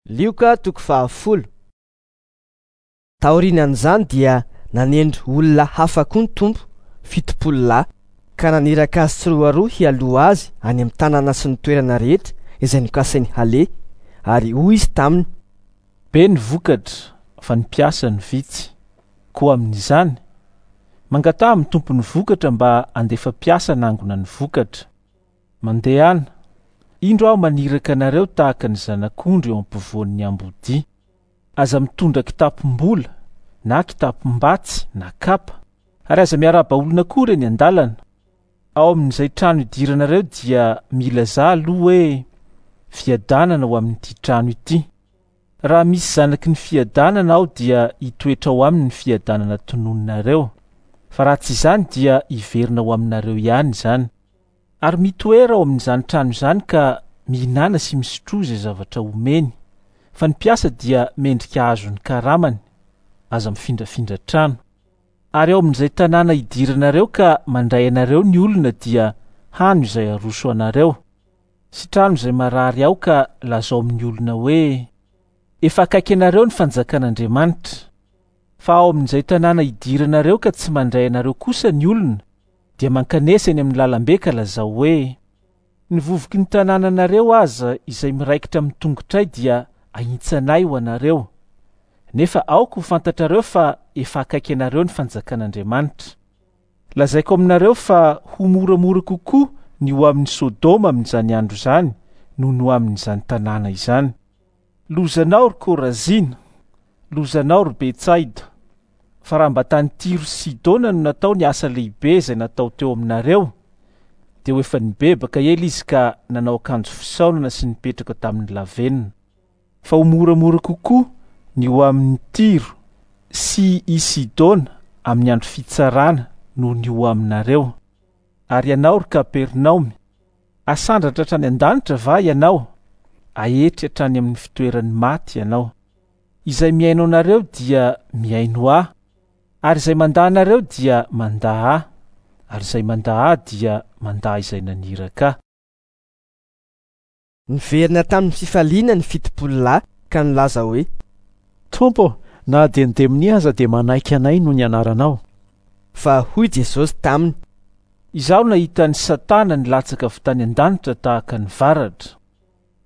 Lioka toko fahafolo. Taorian'izany dia nanendry olona hafa koa ny Tompo, 70 lahy, ka naniraka azy tsiroaroa hialoha azy any amin'ny tanàna sy ny toerana rehetra izay nokasainy haleha, ary hoy izy taminy: Be ny vokatra, fa ny mpiasa no vitsy. Koa amin'izany, mangataha amin'ny tompon'ny vokatra mba handefa mpiasa hanangona ny vokatra. Mandehana, indro aho maniraka anareo tahaka ny zanak'ondry eo ampovoan'ny ambodia. Aza mitondra kitapom-bola, na kitapom-batsy, na kapa, ary aza miarahaba olona akory eny an-dalana. Ao amin'izay trano idiranareo dia milazà aloha hoe, Fiadanana ho amin'ity trano ity. Raha misy zanaky ny fiadanana ao dia hitoetra ao aminy ny fiadanana tononinareo, fa raha tsy izany dia hiverina ho aminareo ihany izany. Ary mitoera ao amin'izany trano izany ka mihinàna sy misotroa izay zavatra omeny, fa ny mpiasa dia mendrika hahazo ny karamany, aza mifindrafindra trano. Ary ao amin'izay tanàna idiranareo ka mandray anareo ny olona dia hano izay aroso anareo. Sitrano izay marary ao ka lazao amin'ny olona hoe, Efa akaiky anareo ny fanjakan'Andriamanitra. Fa ao amin'izay tanàna idiranareo ka tsy mandray anareo kosa ny olona, dia mankanesa eny amin'ny lalambe ka lazao hoe, Ny vovoky ny tanànanareo aza izay miraikitra amin'ny tongotray dia ahintsanay ho anareo. Nefa aoka ho fantatrareo fa efa akaiky anareo ny fanjakan'Andriamanitra. Lazaiko aminareo fa ho moramora kokoa ny ho amin'i Sodoma amin'izany andro izany noho ny ho amin'izany tanàna izany. Lozanao, ry Korazina! Lozanao, ry Betsaida! Fa raha mba tany Tyro sy Sidona no natao ny asa lehibe izay natao teo aminareo, dia ho efa nibebaka ela izy ka nanao akanjo fisaonana sy nipetraka tamin'ny lavenona. Fa ho moramora kokoa ny ho amin'i Tyro sy i Sidona amin'ny andro fitsarana noho ny ho aminareo. Ary ianao, ry Kapernaomy, hasandratra hatrany an-danitra va ianao? Haetry hatrany amin'ny fitoeran'ny maty ianao. Izay mihaino anareo dia mihaino Ahy, ary izay mandà anareo dia mandà Ahy, ary izay mandà Ahy dia mandà izay naniraka Ahy. Niverina tamin'ny fifaliana ny 70 lahy ka nilaza hoe: Tompo ô, na dia ny demonia aza dia manaiky anay noho ny anaranao. Fa hoy Jesosy taminy: Izaho nahita an'i Satana nilatsaka avy tany an-danitra tahaka ny varatra.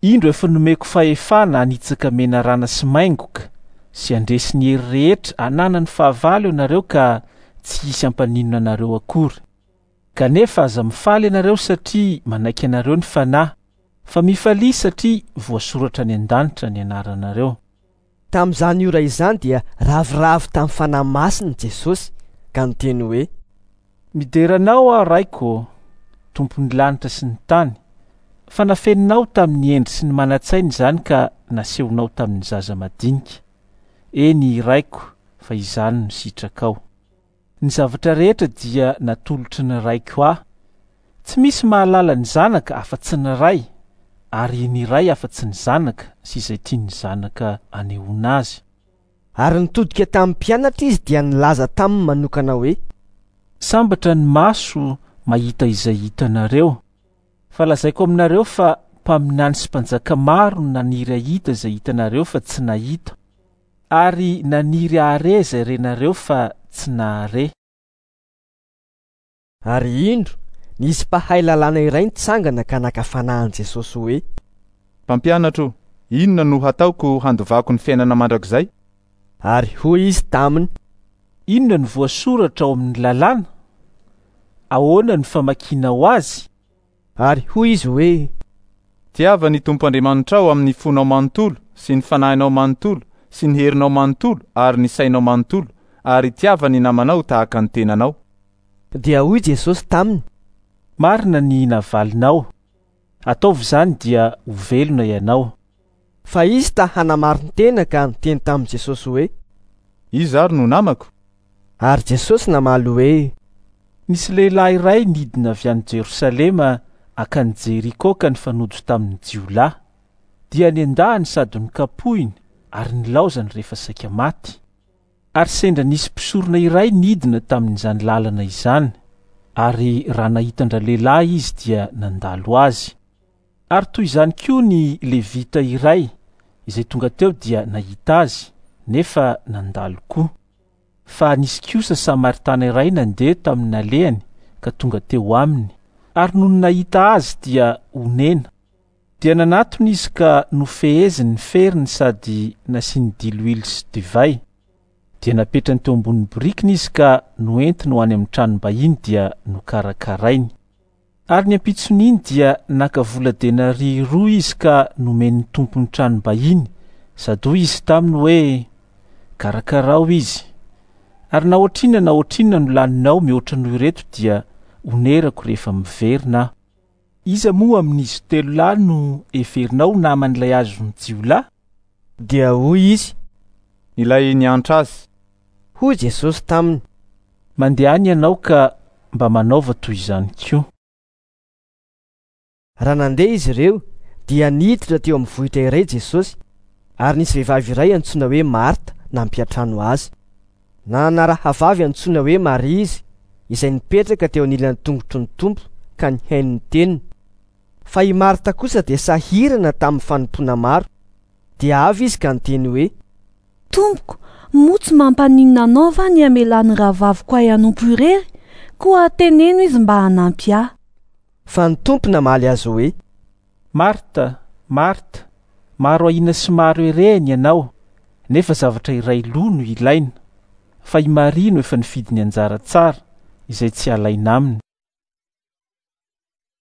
Indro efa nomeko fahefana hanitsaka menarana sy maingoka sy handresy ny hery rehetra ananan'ny fahavalo ianareo ka tsy hisy hampaninona anareo akory. Kanefa aza mifaly ianareo satria manaiky anareo ny Fanahy, fa mifalia satria voasoratra any an-danitra ny anaranareo. Tamin'izany ora izany dia ravoravo tamin'ny Fanahy Masina Jesosy ka niteny hoe: Midera Anao aho, Raiko ô, Tompon'ny lanitra sy ny tany, fa nafeninao tamin'ny hendry sy ny manan-tsaina izany ka nasehonao tamin'ny zaza madinika. Eny, Raiko, fa izany no sitrakao. Ny zavatra rehetra dia natolotry ny Raiko Ahy. Tsy misy mahalala ny Zanaka afa-tsy ny Ray, ary ny Ray afa-tsy ny Zanaka sy izay tian'ny Zanaka anehoana Azy. Ary nitodika tamin'ny mpianatra Izy dia nilaza taminy manokana hoe. Sambatra ny maso mahita izay hitanareo. Fa lazaiko aminareo fa mpaminany sy mpanjaka maro no naniry hahita izay hitanareo fa tsy nahita. Ary naniry hahare izay renareo fa tsy nahare. Ary indro, nisy mpahay lalàna iray nitsangana ka naka fanahy an'i Jesosy hoe. Mpampianatro, inona no hataoko handovako ny fiainana mandrakizay? Ary hoy izy taminy. Inona no voasoratra ao amin'ny lalàna? Ahoana no famakianao azy? Ary hoy izy hoe. Tiava ny Tompo Andriamanitrao amin'ny fonao manontolo sy ny fanahinao manontolo sy ny herinao manontolo ary ny sainao manontolo, ary tiava ny namanao tahaka ny tenanao. Dia hoy Jesosy taminy. Marina ny navalinao. Ataovy izany dia ho velona ianao. Fa izy ta hanamarin-tena ka niteny tamin'i Jesosy hoe. Iza ary no namako? Ary Jesosy namaly hoe. Nisy lehilahy iray nidina avy any Jerosalema hankany Jeriko ka nifanojo tamin'ny jiolahy. Dia nendahany sady nokapohiny ary nilaozany rehefa saika maty. Ary sendra nisy mpisorona iray nidina tamin'izany lalana izany, ary raha nahita an-dralehilahy izy dia nandalo azy. Ary toy izany koa ny Levita iray, Izay tonga teo dia nahita azy, nefa nandalo koa. Fa nisy kosa Samaritana iray nandeha tamin'ny nalehany ka tonga teo aminy, ary nony nahita azy dia onena. Dia nanatona izy ka nofeheziny ny feriny sady nasiany diloilo sy divay. Dia napetrany teo ambonin'ny borikiny izy ka noentiny ho any amin'ny tranom-bahiny dia nokarakarainy. Ary ny ampitson'iny dia naka vola denaria roa izy ka nomeny ny tompon'ny tranom-bahiny, sady hoy izy taminy hoe, Karakarao izy, ary na ohatrinona na ohatrinona no laninao mihoatra noho ireto dia honerako rehefa miverina aho. Iza moa amin'izy telo lahy no heverinao ho naman'ilay azon'ny jiolahy? Dia hoy izy, Ilay niantra azy. Hoy Jesosy taminy, Mandehana ianao ka mba manaova toy izany koa. Raha nandeha izy ireo, dia niditra teo amin'ny vohitra iray Jesosy, ary nisy vehivavy iray antsoina hoe Marta nampiantrano azy. Nanana rahavavy antsoina hoe Maria izy, izay nipetraka teo anilan'ny tongotry ny Tompo ka nihaino ny teniny. Fa i Marta kosa dia sahirana tamin'ny fanompoana maro. Dia avy izy ka niteny hoe. Tompoko, moa tsy mampaninona anao va ny hamelan'ny rahavaviko ahy hanompo irery? Koa teneno izy mba hanampy ahy. Fa ny Tompo namaly azy hoe. Marta, Marta, maro ahiana sy maro erehina ianao, nefa zavatra iray loha no ilaina. Fa i Maria no efa nifidy ny anjara tsara, izay tsy halaina aminy.